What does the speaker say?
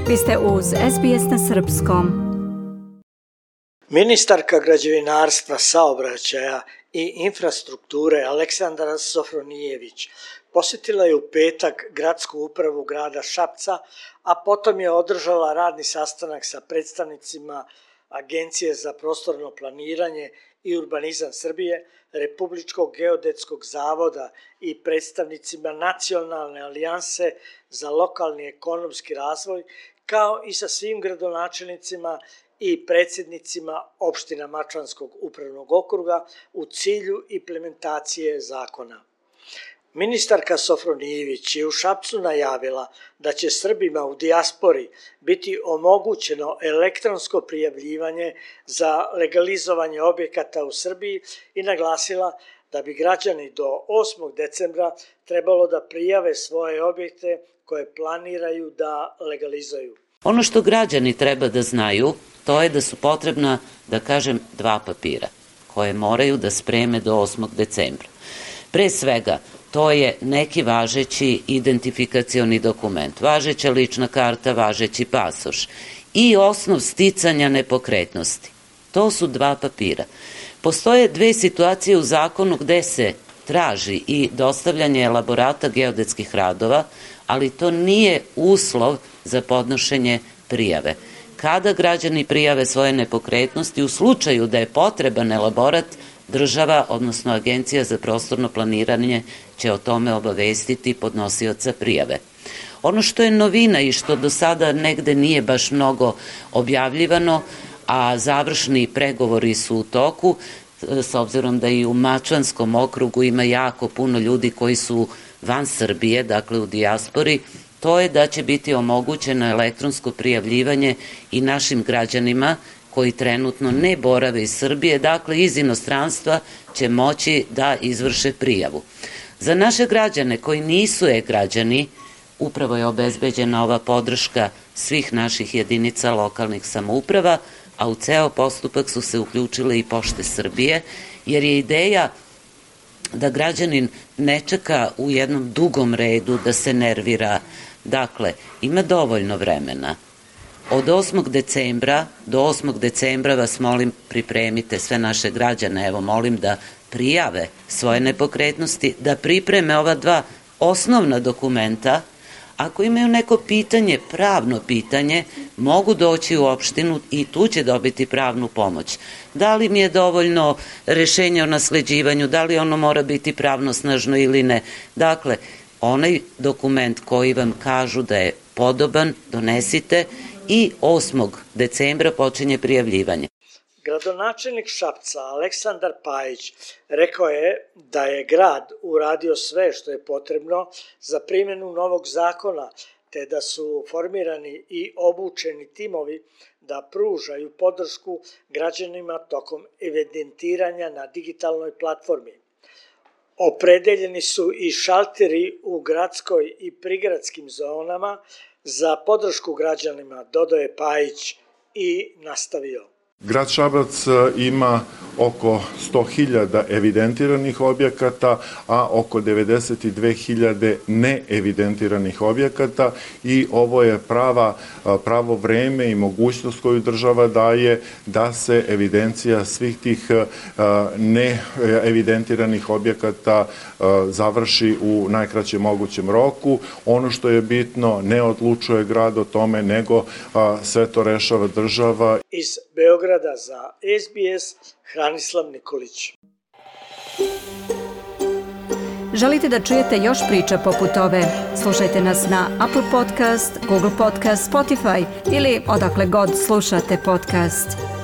Vi ste uz SBS na srpskom. Ministarka građevinarstva, saobraćaja i infrastrukture Aleksandra Sofronijević posjetila je u petak gradsku upravu grada Šapca, a potom je održala radni sastanak sa predstavnicima Agencije za prostorno planiranje i urbanizam Srbije, Republičkog geodetskog zavoda i predstavnicima Nacionalne alijanse za lokalni ekonomski razvoj, kao i sa svim gradonačelnicima i predsjednicima opština Mačvanskog upravnog okruga u cilju implementacije zakona. Ministarka Sofronijević je u Šapcu najavila da će Srbima u dijaspori biti omogućeno elektronsko prijavljivanje za legalizovanje objekata u Srbiji i naglasila da bi građani do 8. decembra trebalo da prijave svoje objekte koje planiraju da legalizuju. Ono što građani treba da znaju, to je da su potrebna, da kažem, 2 papira koje moraju da spreme do 8. decembra. Pre svega, to je neki važeći identifikacioni dokument, važeća lična karta, važeći pasoš i osnov sticanja nepokretnosti. To su 2 papira. Postoje 2 situacije u zakonu gde se traži i dostavljanje elaborata geodetskih radova, ali to nije uslov za podnošenje prijave. Kada građani prijave svoje nepokretnosti, u slučaju da je potreban elaborat, država, odnosno Agencija za prostorno planiranje, će o tome obavestiti podnosioca prijave. Ono što je novina i što do sada negde nije baš mnogo objavljivano, a završni pregovori su u toku, s obzirom da i u Mačvanskom okrugu ima jako puno ljudi koji su van Srbije, dakle u dijaspori, to je da će biti omogućeno elektronsko prijavljivanje i našim građanima koji trenutno ne borave iz Srbije, dakle iz inostranstva će moći da izvrše prijavu. Za naše građane koji nisu e-građani, upravo je obezbeđena ova podrška svih naših jedinica lokalnih samouprava, a u ceo postupak su se uključile i Pošte Srbije, jer je ideja da građanin ne čeka u jednom dugom redu, da se nervira. Dakle, ima dovoljno vremena. Od 8. decembra do 8. decembra vas molim pripremite sve naše građane, evo molim da prijave svoje nepokretnosti, da pripreme ova 2 osnovna dokumenta. Ako imaju neko pitanje, pravno pitanje, mogu doći u opštinu i tu će dobiti pravnu pomoć. Da li mi je dovoljno rešenje o nasleđivanju, da li ono mora biti pravnosnažno ili ne. Dakle, onaj dokument koji vam kažu da je podoban, donesite i 8. decembra počinje prijavljivanje. Gradonačelnik Šapca Aleksandar Pajić rekao je da je grad uradio sve što je potrebno za primjenu novog zakona, te da su formirani i obučeni timovi da pružaju podršku građanima tokom evidentiranja na digitalnoj platformi. Opredeljeni su i šalteri u gradskoj i prigradskim zonama za podršku građanima, dodao je Pajić i nastavio. Grad Šabac ima oko 100.000 evidentiranih objekata, a oko 92.000 neevidentiranih objekata i ovo je pravo vreme i mogućnost koju država daje da se evidencija svih tih neevidentiranih objekata završi u najkraćem mogućem roku. Ono što je bitno, ne odlučuje grad o tome, nego sve to rešava država. Iz Beograda za SBS, Hranislav Nikolić. Želite da čujete još priča poput ove? Slušajte nas na Apple Podcast, Google Podcast, Spotify ili odakle god slušate podcast.